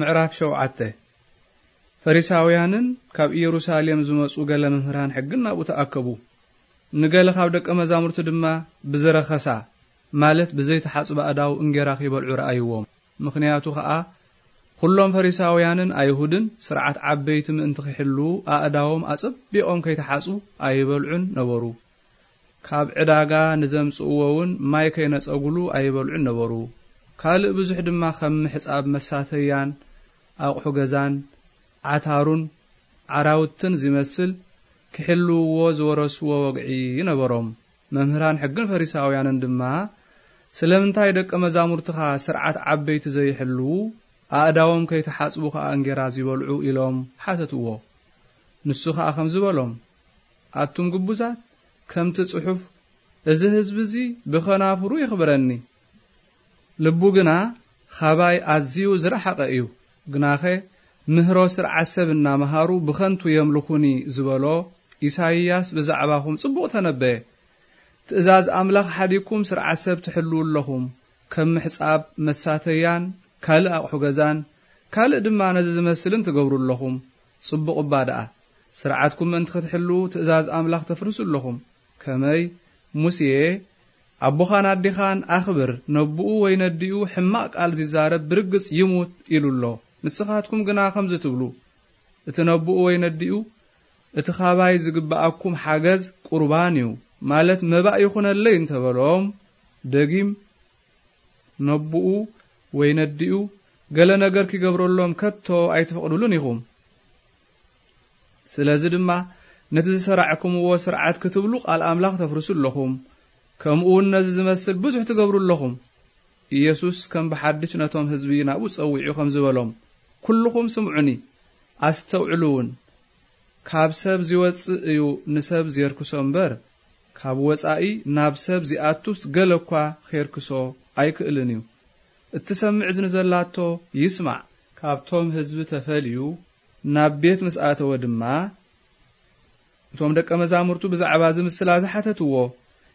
ምዕራፍ ሸውዓተ። ፈሪሳውያንን ካብ ኢየሩሳሌም ዝመጹ ገለ መምህራን ሕግን ናብኡ ተኣከቡ። ንገለ ካብ ደቀ መዛሙርቱ ድማ ብዝረኸሳ፣ ማለት ብዘይተሓጽበ ኣእዳው እንጌራ ኺበልዑ ረኣይዎም። ምኽንያቱ ኸኣ፣ ኵሎም ፈሪሳውያንን ኣይሁድን ስርዓት ዓበይቲ ምእንቲ ኺሕልዉ፣ ኣእዳዎም ኣጸቢቖም ከይተሓጽቡ ኣይበልዑን ነበሩ። ካብ ዕዳጋ ንዘምጽእዎ እውን ማይ ከይነጸጉሉ ኣይበልዑን ነበሩ። ካልእ ብዙሕ ድማ ከም ምሕጻብ መሳተያን ኣቕሑ ገዛን ዓታሩን ዓራውትን ዚመስል ክሕልውዎ ዝወረስዎ ወግዒ ነበሮም። መምህራን ሕግን ፈሪሳውያንን ድማ፣ "ስለምንታይ ደቀ መዛሙርትኻ ስርዓት ዓበይቲ ዘይሕልዉ፣ ኣእዳዎም ከይተሓጽቡ ኸኣ እንጌራ ዚበልዑ?" ኢሎም ሓተትዎ። ንሱ ኸኣ ከምዚ በሎም፣ ኣቱም ግቡዛት፣ ከምቲ ጽሑፍ፣ "እዚ ህዝቢ እዚ ብኸናፍሩ የኽብረኒ፣ ልቡ ግና ኻባይ ኣዝዩ ዝረሓቐ እዩ። ግናኸ ምህሮ ስርዓት ሰብ እናመሃሩ ብኸንቱ የምልኹኒ" ዝበሎ ኢሳይያስ ብዛዕባኹም ጽቡቕ ተነበየ። ትእዛዝ ኣምላኽ ሓዲግኩም ስርዓት ሰብ ትሕልዉ ኣለኹም። ከም ምሕጻብ መሳተያን ካልእ ኣቕሑ ገዛን ካልእ ድማ ነዚ ዝመስልን ትገብሩ ኣለኹም። ጽቡቕ እባ ደኣ፣ ስርዓትኩም ምእንቲ ክትሕልዉ ትእዛዝ ኣምላኽ ተፍርሱ ኣለኹም። ከመይ? ሙሴ፣ "ኣቦኻን ኣዴኻን ኣኽብር፣ ነቦኡ ወይ ነዲኡ ሕማቕ ቃል ዚዛረብ ብርግጽ ይሙት" ኢሉ ኣሎ። ንስኻትኩም ግና ከምዚ ትብሉ፣ "እቲ ነቦኡ ወይ ነዲኡ እቲ ኻባይ ዝግብኣኩም ሓገዝ ቁርባን እዩ፣ ማለት መባእ ይኹነለይ" እንተበሎም፣ ደጊም ነቦኡ ወይ ነዲኡ ገለ ነገር ኪገብረሎም ከቶ ኣይትፈቕዱሉን ኢኹም። ስለዚ ድማ ነቲ ዝሰራዕኩምዎ ስርዓት ክትብሉ ቃል ኣምላኽ ተፍርሱ ኣለኹም፣ ከምኡ እውን ነዚ ዝመስል ብዙሕ ትገብሩ ኣለኹም። ኢየሱስ ከም ብሓድሽ ነቶም ህዝቢ ናብኡ ጸዊዑ ከምዚ በሎም፣ "ኩልኹም ስምዑኒ፣ ኣስተውዕሉ እውን። ካብ ሰብ ዚወጽእ እዩ ንሰብ ዜርክሶ እምበር፣ ካብ ወጻኢ ናብ ሰብ ዚኣቱስ ገለ እኳ ኼርክሶ ኣይክእልን እዩ። እትሰምዕ እዝኒ ዘላቶ ይስማዕ።" ካብቶም ህዝቢ ተፈልዩ ናብ ቤት ምስ ኣተወ ድማ፣ እቶም ደቀ መዛሙርቱ ብዛዕባ እዚ ምስላ እዚ ሓተትዎ።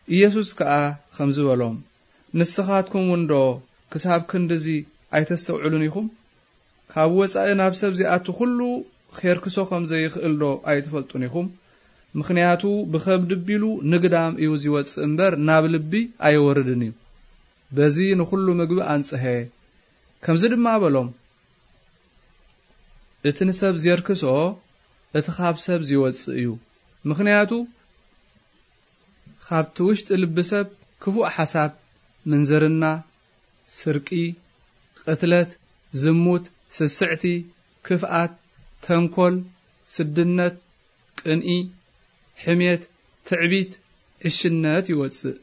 ኢየሱስ ከኣ ከምዚ በሎም፣ "ንስኻትኩም እውን ዶ ክሳብ ክንድዚ ኣይተስተውዕሉን ኢኹም? ካብ ወጻኢ ናብ ሰብ ዚኣቱ ኹሉ ኼርክሶ ኸም ዘይኽእል ዶ ኣይትፈልጡን ኢኹም? ምኽንያቱ ብኸብዲ ኣቢሉ ንግዳም እዩ ዚወጽእ እምበር፣ ናብ ልቢ ኣይወርድን እዩ። በዚ ንኹሉ ምግቢ ኣንጽሀ።" ከምዚ ድማ በሎም፣ እቲ ንሰብ ዜርክሶ፣ እቲ ኻብ ሰብ ዚወጽእ እዩ። ምኽንያቱ፣ ኻብቲ ውሽጢ ልቢ ሰብ ክፉእ ሓሳብ፣ ምንዝርና፣ ስርቂ፣ ቕትለት፣ ዝሙት፣ ስስዕቲ፣ ክፍኣት፣ ተንኮል፣ ስድነት፣ ቅንኢ፣ ሕሜት፣ ትዕቢት፣ ዕሽነት ይወጽእ።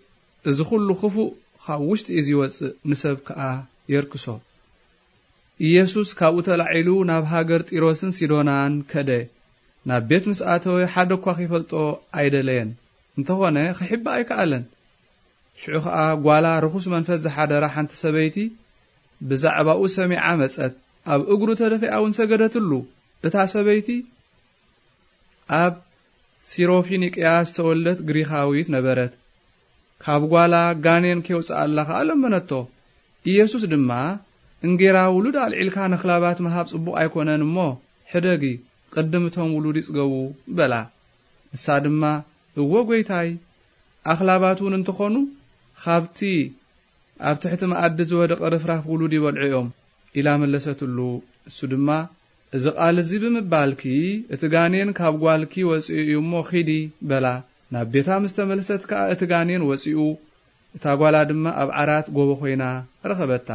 እዚ ኹሉ ክፉእ ኻብ ውሽጢ እዩ ዚወጽእ፣ ንሰብ ከኣ የርክሶ። ኢየሱስ ካብኡ ተላዒሉ ናብ ሃገር ጢሮስን ሲዶናን ከደ። ናብ ቤት ምስ ኣተወ ሓደ እኳ ኺፈልጦ ኣይደለየን። እንተኾነ ኺሕብእ ኣይከኣለን። ሽዑ ኸኣ ጓላ ርኹስ መንፈስ ዝሓደራ ሓንቲ ሰበይቲ ብዛዕባኡ ሰሚዓ መጸት። ኣብ እግሩ ተደፊኣ እውን ሰገደትሉ። እታ ሰበይቲ ኣብ ሲሮፊኒቅያ ዝተወልደት ግሪኻዊት ነበረት። ካብ ጓላ ጋኔን ኬውጽኣላ ኸኣ ለመነቶ። ኢየሱስ ድማ፣ "እንጌራ ውሉድ ኣልዒልካ ነኽላባት ምሃብ ጽቡቕ ኣይኮነን እሞ፣ ሕደጊ፣ ቅድም እቶም ውሉድ ይጽገቡ" በላ። ንሳ ድማ፣ "እወ ጐይታይ፣ ኣኽላባት እውን እንተኾኑ፣ ኻብቲ ኣብ ትሕቲ መኣዲ ዝወደቐ ርፍራፍ ውሉድ ይበልዑ እዮም" ኢላ መለሰትሉ። እሱ ድማ፣ "እዚ ቃል እዚ ብምባልኪ፣ እቲ ጋኔን ካብ ጓልኪ ወጺኡ እዩ እሞ፣ ኺዲ" በላ። ናብ ቤታ ምስ ተመልሰት ከኣ፣ እቲ ጋኔን ወጺኡ፣ እታ ጓላ ድማ ኣብ ዓራት ጎቦ ኾይና ረኸበታ።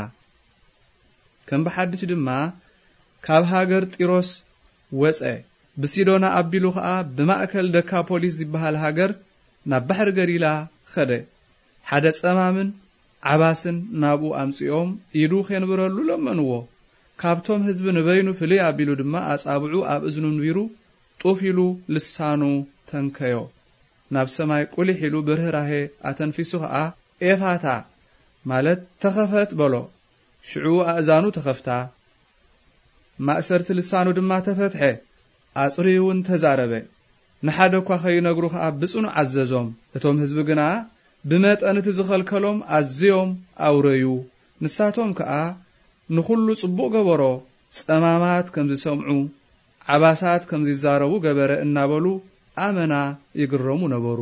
ከም ብሓድሽ ድማ ካብ ሃገር ጢሮስ ወጸ። ብሲዶና ኣቢሉ ኸኣ ብማእከል ደካፖሊስ ዝበሃል ሃገር ናብ ባሕሪ ገሊላ ኸደ። ሓደ ጸማምን ዓባስን ናብኡ ኣምጺኦም ኢዱ ኼንብረሉ ለመንዎ። ካብቶም ህዝቢ ንበይኑ ፍልይ ኣቢሉ ድማ ኣጻብዑ ኣብ እዝኑ ኣንቢሩ ጡፍ ኢሉ ልሳኑ ተንከዮ። ናብ ሰማይ ቁሊሕ ኢሉ ብርህራሄ ኣተንፊሱ ኸኣ ኤፋታ ማለት ተኸፈት በሎ። ሽዑ ኣእዛኑ ተኸፍታ፣ ማእሰርቲ ልሳኑ ድማ ተፈትሐ፣ ኣጽርዩ እውን ተዛረበ። ንሓደ እኳ ኸይነግሩ ኸኣ ብጽኑዕ ኣዘዞም። እቶም ህዝቢ ግና ብመጠን እቲ ዝኸልከሎም ኣዝዮም ኣውረዩ። ንሳቶም ከኣ ንኹሉ ጽቡቕ ገበሮ፣ ጸማማት ከም ዝሰምዑ፣ ዓባሳት ከም ዝዛረቡ ገበረ እናበሉ ኣመና ይግረሙ ነበሩ።